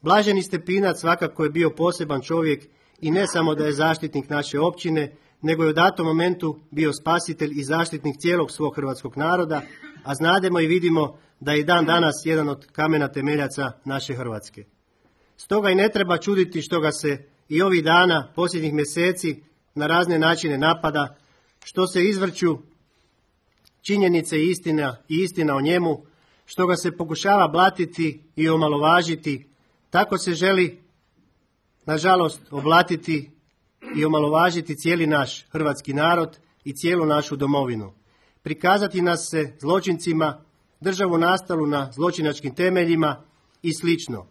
Blaženi Stepinac svakako je bio poseban čovjek i ne samo da je zaštitnik naše općine, nego je u datom momentu bio spasitelj i zaštitnik cijelog svog hrvatskog naroda, a znademo i vidimo da je i dan danas jedan od kamena temeljaca naše Hrvatske. Stoga i ne treba čuditi što ga se i ovih dana, posljednjih mjeseci, na razne načine napada, što se izvrću činjenice i istina o njemu, što ga se pokušava blatiti i omalovažiti. Tako se želi, nažalost, oblatiti i omalovažiti cijeli naš hrvatski narod i cijelu našu domovinu. Prikazati nas se zločincima, državu nastalu na zločinačkim temeljima i slično.